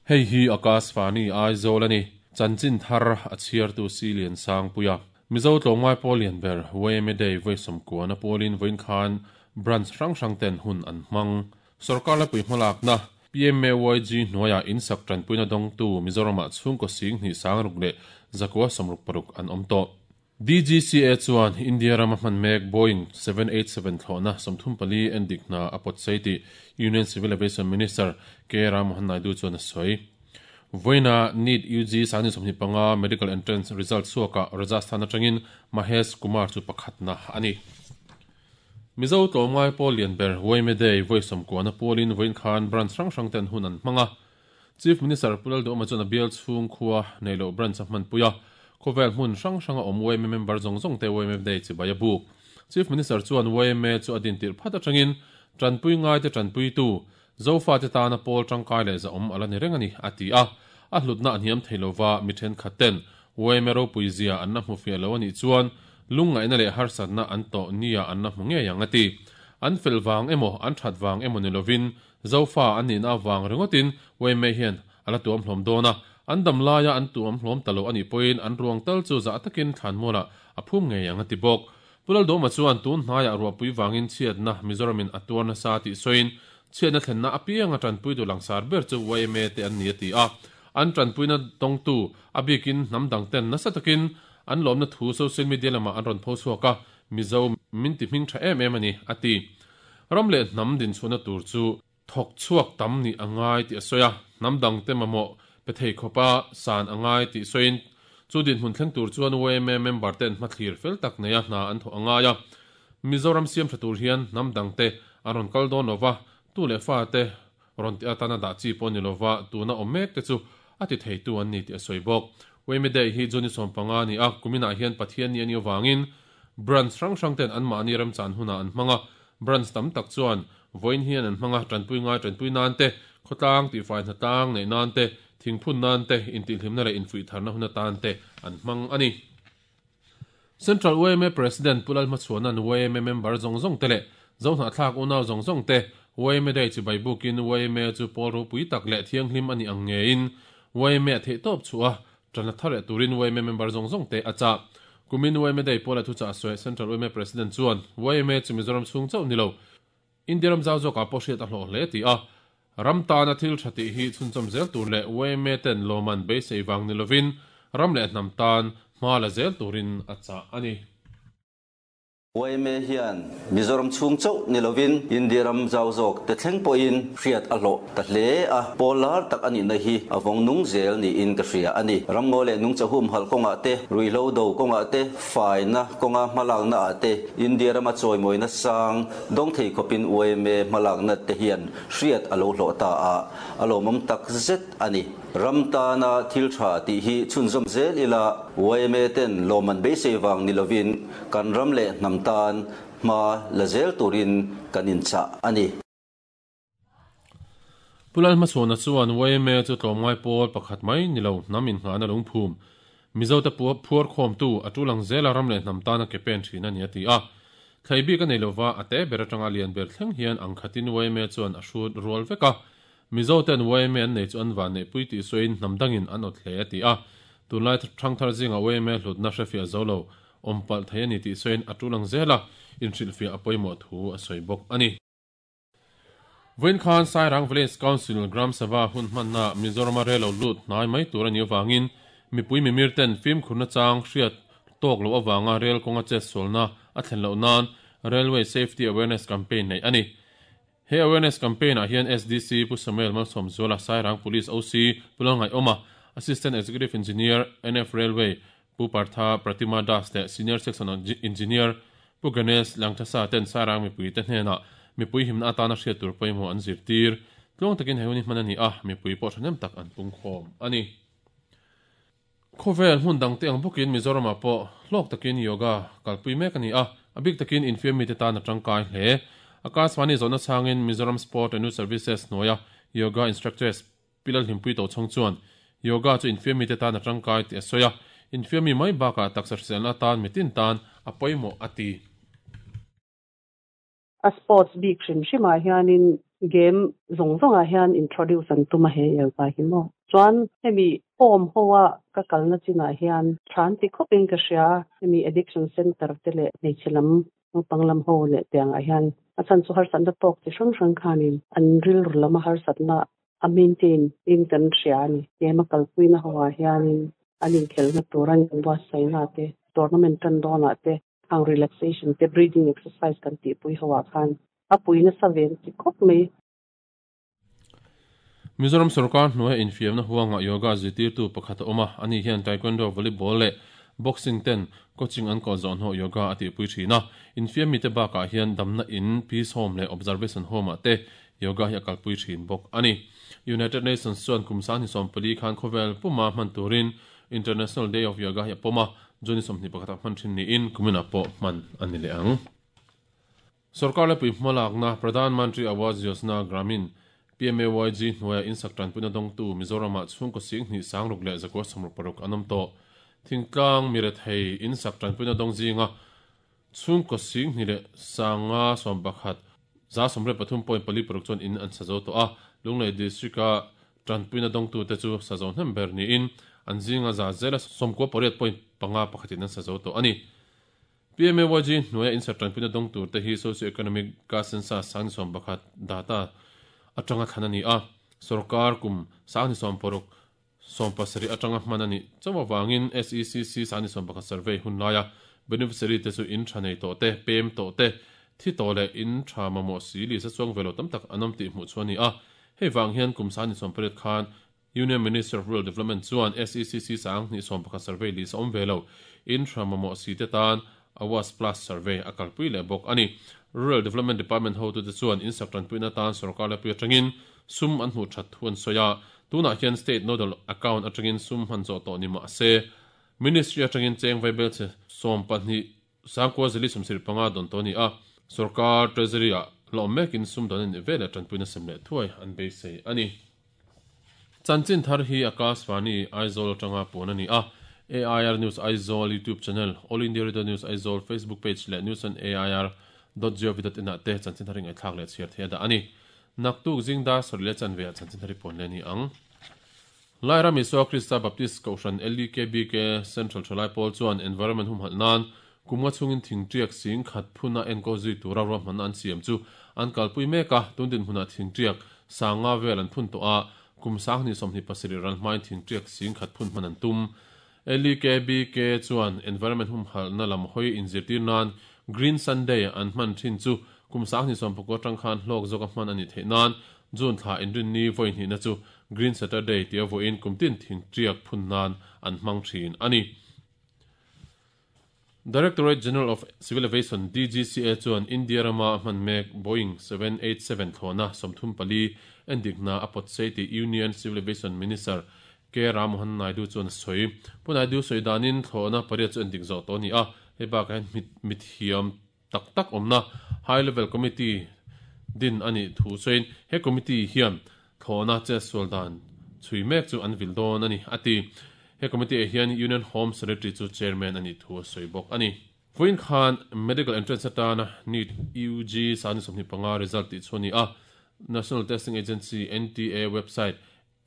Hei hi Akashvani Aizawl a ni. Chanchin thar a chhiartu si Lian Sangpuia. Mizo tlawmngai pawl lian ber YMA Day vawi sawmkuana pawlin vawiin khan branch hrang hrang ten hun an hmang. Sorkar laipui hmalakna PMAYG hnuaiah insak tanpuina dawngtu Mizoramah chhungkaw sing hnih sangruk leh zakua 66 an awm tawh. DGCA chuan India rama hman mek Boeing 787 thlawhna 34 endik hna a pawt sei tih Union Civil Aviation Minister K Ram Mohan Naidu chuan a sawi. Vawiina NEET UG 2025 Medical Entrance result chhuakah Rajasthan atangin Mahesh Kumar chu pakhatna a ni. Mizo tlawmngai pawl lian ber YMA Day vawi sawmkuana pawlin vawiin khan branch hrang hrang ten hun an hmang a. Chief Minister Pu Lalduhawma chuan a bial chhung khua neih loh branch a hmanpui a, khawvel hmun hrang hranga awm YMA member zawng zawng te YMA Day chibai a buk. Chief Minister chuan YMA chu a dintirh phat atangin tanpui ngaite tanpuitu, Zofate tana pawl tangkai leh zahawm a la ni reng a ni, a ti a. A hlutna a hniam thei lova mi thenkhat ten YMA ropui zia an la hmu fiah lo a nih chuan lungngaihna leh harsatna an tawh nia an la hmu ngei ang a ti. An fel vang emaw an that vang emaw ni lovin Zofa an nihna avang ringawtin YMA hian a la tuam hlawm dawn a, an dam laia an tuam hlawm ta lo a nih pawhin an ruang tal chu zah takin thlanmualah a phum ngei ang a ti bawk. Pu Lalduhawma chuan tun hnaiah ruahpui vangin chhiatna Mizoramin a tuar nasa tih sawiin chhiatna thlenna apianga tanpuitu langsar ber chu YMA te an ni a ti a. An tanpuina dawngtu a bikin hnam dang ten nasa takin an lawmna thu social media lamah an rawn pho chhuak a, Mizo min ti hming tha em em a ni a ti. Ram leh hnam dinchhuahna tur chu thawk chhuak tam nih a ngai tih a sawi a, hnam dangte mamawh pe thei khawpa san a ngai tih sawiin chu dinhmun thleng tur chuan YMA member ten hmathlir fel tak neia hna an thawh a ngai a. Mizoram siam tha tur hian hnam dangte an rawn kal dawn lova, tu leh fate rawn tih atana dah chi pawh ni lova tuna awm mek te chu a ti theitu an ni tih a sawi bawk. YMA Day hi June 15 a ni a, kuminah hian Pathianni a nih avangin branch hrang hrang ten anmahni remchan hunah an hmang a, branch tam tak chuan vawiin hian an hmang a, tanpui ngai tanpui nan te, khawtlang tihfai hnatlang neih nan te, thingphun nan te, intihhlimna leh infuihtharna hun atan te an hmang a ni. Central YMA President Pu Lalhmachhuana'n YMA member zawng zawng te leh Zohnahthlak unau zawng zawng te YMA Day chibai bukin YMA chu pawl ropui tak leh thianghlim a nih ang ngeiin YMA a theihtawp chhuah a, ṭan la thar leh turin YMA member zawng zawng te a chah. Kumin YMA Day pawla thuchah a sawi Central YMA President chuan YMA chu Mizoram chhung chauh ni lo, India ram zau zawkah pawh hriat a hlawh hle ti a, ram tana thil tha tih hi chhunchawm zel tur leh YMA ten lawman beisei vang ni lovin ram leh hnam tan hma la zel turin a chah a ni. YMA hian Mizoram chhung chauh ni lovin India ram zau zawk te thleng pawhin hriat a hlawh ta hle a, pawl lar tak a nihna hi a vawng nung zel niin ka hria a ni. Ramngaw leh nungcha humhalh kawngah te, ruihhlo do kawngah te, faina kawnga hmalakna ah te India rama chawimawina sang dawng thei khawpin YMA hmalakna te hian hriat a lo hlawh ta a, a lawmawm tak zet a ni. Ram tana thil tha tih hi chhunzawm zel ila YMA ten lawmman beisei vang ni lovin kan ram leh hnam tan hma la zel turin kan inchah a ni. Pu Lalhmachhuana chuan YMA chu tlawmngai pawl pakhat mai ni lo hnam inngahna lungphum, Mizote phuar khawmtu a tul ang zela ram leh hnam tana ke pen thin a ni a ti a. Thlei bik a nei lova a te ber atanga lian ber thleng hian ang khatin YMA chuan a hrut rual vek a. Mizoten YMA an nei chu an van neihpui tih sawiin hnam dangin an awt hle a ti a. Tunlai thangthar zinga YMA hlutna hrefiah zo lo awm palh thei a ni tih sawiin a tul ang zela inhrilhfiah a pawimawh thu a sawi bawk a ni. Vawiin khan Sairang Village Council Gram Sabha hun hmanna Mizorama rel lo lut hnai mai tur a nih avangin mipui mimir ten fimkhurna chang hriat tawk loh avanga rel kawnga chetsualna a thlen loh nan Railway Safety Awareness Campaign neih a ni. He Awareness Campaign ah hian SDC Pu Samuel Malsawmzuala, Sairang Police OC Pu Lalngaihawma, Assistant Executive Engineer NF Railway Pu Partha Pratima Das leh Senior Section Engineer Pu Ganesh Langthasa ten Sairang mipuite hnenah mipui himna atana hriat tur pawimawh an zirtir. Tluang takin he hun hi hman a ni a, mipui pawh thahnem tak an pungkhawm a ni. Khawvel hmun dangte ang bawkin Mizoramah pawh hlawk takin yoga kalpui mek a ni a, a bik takin infiam mite tan a tangkai hle. Akashvani zawhna chhangin Mizoram Sport and Youth Services hnuaia Yoga Instructors Pi Lalhlimpui Tochhawng chuan yoga chu infiam mite tan a tangkai tih a sawi a, infiam mi mai bakah taksa hriselna atan mitin tan a pawimawh a ti. A sports bik hrim hrimah hianin Game zawng zawngah hian introduce an tum a he yoga hi maw. Chuan hemi home ho a ka kalna chinah hian tha an ti khawpin ka hria a, hemi addiction center te leh hmeichhe lam naupang lam ho leh tiangah hian a chhan chu harsatna tawk chi hrang hrang khanin an rilru lama harsatna a maintain in kan hria a ni. Game a kalpuina ho ah hianin an inkhelhna tur an inbuatsaihna te, tournament tan dawnah te Khang relaxation te breathing exercise kan tihpui ho ah khan a pui nasa ve ti khawp mai. Mizoram sorkar hnuaia infiamna huangah yoga zirtirtu pakhat a awm a, ani hian taekwondo, volleyball leh boxing ten coaching an kawl zawh hnawh yoga a tihpui thin a. Infiam mite bakah hian damna in, peace home leh observation home ah te yoga hi a kalpui thin bawk a ni. United Nations chuan kum 2014 khan khawvel puma hman turin International Day of Yoga hi a pawm a, June 21 ah hman thin niin kuminah pawh hman a ni leh ang. Sorkar lepui hmalakna Pradhan Mantri Awas Yojana Gramin, PMAYG, hnuaia insak tanpuina dawngtu Mizoramah chhungkaw 26 366 an awm tawh. Thingtlang mirethei insak tanpuina dawng zinga chhungkaw 2,511 183.46 chuan in an sa zo tawh a, Lunglei District-a Tanpuina dawngtute chu sazo hnem ber niin an zinga za zela 98.5 pakhatin an sazo tawh a ni. PMAYG hnuaia insert tanpuina dawng turte hi Socio-Economic Caste Census 2011 data atanga thlan a ni a, sorkar kum 2006 17 atanga hman a nih chauh avangin SECC 2011 survey hun laia beneficiary te chu in tha nei tawh te, pem tawh te, thi tawh leh in tha mamawh si lisa chuang ve lo tam tak an awm tih hmuh chu a ni a. Hei vang hian kum 28 khan Union Minister of Rural Development chuan SECC 21 survey list a awm ve lo, in tha mamawh si te tan Awas Plus survey a kalpui leh bawk a ni. Rural Development Department hotute chuan in sak tanpuina tan sorkar lepui atangin sum an hmuh that thu an sawi a, tunah hian State Nodal Account atangin sum hman zawh tawh ni mah se Ministry atangin cheng vaibel chhe 12 9,075 dawn tawh a ni a, sorkar Treasury-ah hlawm mekin sum dawn a nih veleh tanpuina sem leh thuai an beisei a ni. Chanchin thar hi Akashvani Aizawl atanga puan a ni a, AIR News Aizawl YouTube channel, All India Radio News Aizawl Facebook page leh news on air dot gov dot in ah te chanchin thar hi ngaihthlak leh chhiar theih a dah a ni. Naktuk zingdar sarih leh chanve ah chanchin thar hi puan leh a ni ang. Lairam Isua Krista Baptist Kohhran LEKBK Central Thalai Pawl chuan environment humhalh nan kum nga chhungin thingtiak 10,000 phuna enkawl zui tura ruahmanna an siam chu an kalpui mek a, tun dinhmunah thingtiak 5,000 vel an phun tawh a, kum 2027 ral hmain thingtiak 10,000 phun hman an tum. LEKBK chuan environment humhalhna lam hawi inzirtir nan Green Sunday an hman thin chu kum 2019 atang khan hlawk zawka hman a nih theih nan June thla inrinni vawi hnihna chu Green Saturday tia vawiin kum tin thingtiak phun nan an hmang thin a ni. Directorate General of Civil Aviation, DGCA, chuan India rama hman mek Boeing 787 thlawhna 34 endikna a pawt sei tih Union Civil Aviation Minister K Rammohan Naidu chuan a sawi. Pu Naidu sawi danin thlawhna pariat chu endik zawh tawh a ni a, hei bakah hian mithiam tak tak awmna High Level Committee din a nih thu sawiin he committee hian thlawhna chetsual dan chhui mek chu an vil dawn a ni, a ti. He committee ah hian Union Home Secretary chu chairman a nih thu a sawi bawk a ni. Vawiin khan Medical Entrance atana NEET UG 25 result tih chu a ni a, National Testing Agency, NTA, website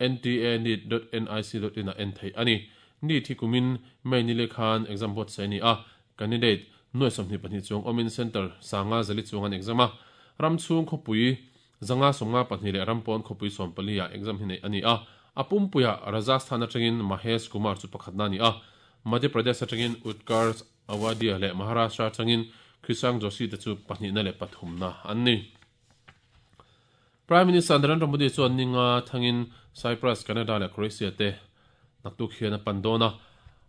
nta-neet.nic.in ah en theih a ni. NEET hi kumin May ni leh khan exam buatsaih a ni a, candidate nuai 22 chuang awmin centre 504 chuang an exam a. Ram chhung khawpui 554 leh ram pawn khawpui 14 ah exam hi neih a ni a. A pumpuiah Rajasthan atangin Mahesh Kumar chu pakhatna a ni a, Madhya Pradesh atangin Utkarsh Awadhia leh Maharashtra atangin Krishank Joshi te chu pahnihna leh pathumna an ni. Prime Minister Narendra Modi chuan ninga thangin Cyprus, Canada leh Croatia te naktuk hian a pan dawn a.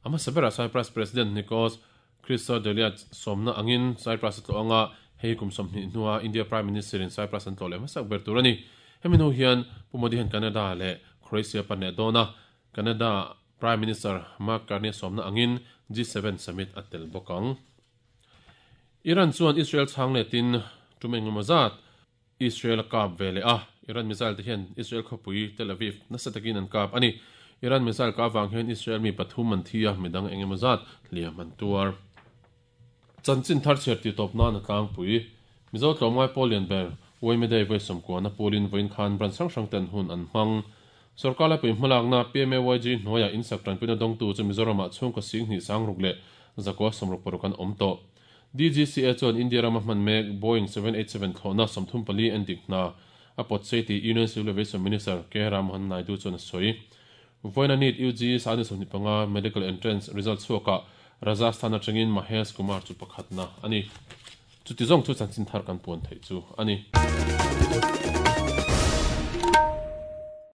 A hmasa berah Cyprus President Nikos Christodoulides sawmna angin Cyprus a tlawh anga hei kum 20 hnua India Prime Minister in Cyprus an tlawh leh hmasak ber tur a ni. Hemi hnu hian Pu Modi hian Canada leh Croatia pan leh dawn a. Canada Prime Minister Mark Carney a sawmna angin G7 summit a tel bawk ang. Iran chuan Israel chhang letin tum engemaw zat Israel a kap ve leh a, Iran missile te hian Israel khawpui Tel Aviv nasa takin an kap a ni. Iran missile kah avang hian Israel mi pathum an thi a, midang engemaw zat hliam an tuar. Chanchin thar chhiar tih tawp nan a tlangpui. Mizo tlawmngai pawl lian ber Yma Day vawi sawmkuana pualin vawiin khan branch hrang hrang ten hun an hmang. Sorkar laipui hmalakna PMAYG hnuaiah insak tanpuina dawngtu chu Mizoramah chhungkaw singhnih sangruk leh zakua 66 an awm tawh. DGCA chuan India rama hman mek Boeing 787 thlawhna 34 endik hna a pawt sei tih Union Civil Aviation Minister K Rammohan Naidu chuan a sawi. Vawiina NEET UG sani 25 Medical Entrance result chhuakah Rajasthan atangin Mahesh Kumar chu pakhatna a ni. Chuti zawng chu chanchin thar kan puan theih chu a ni.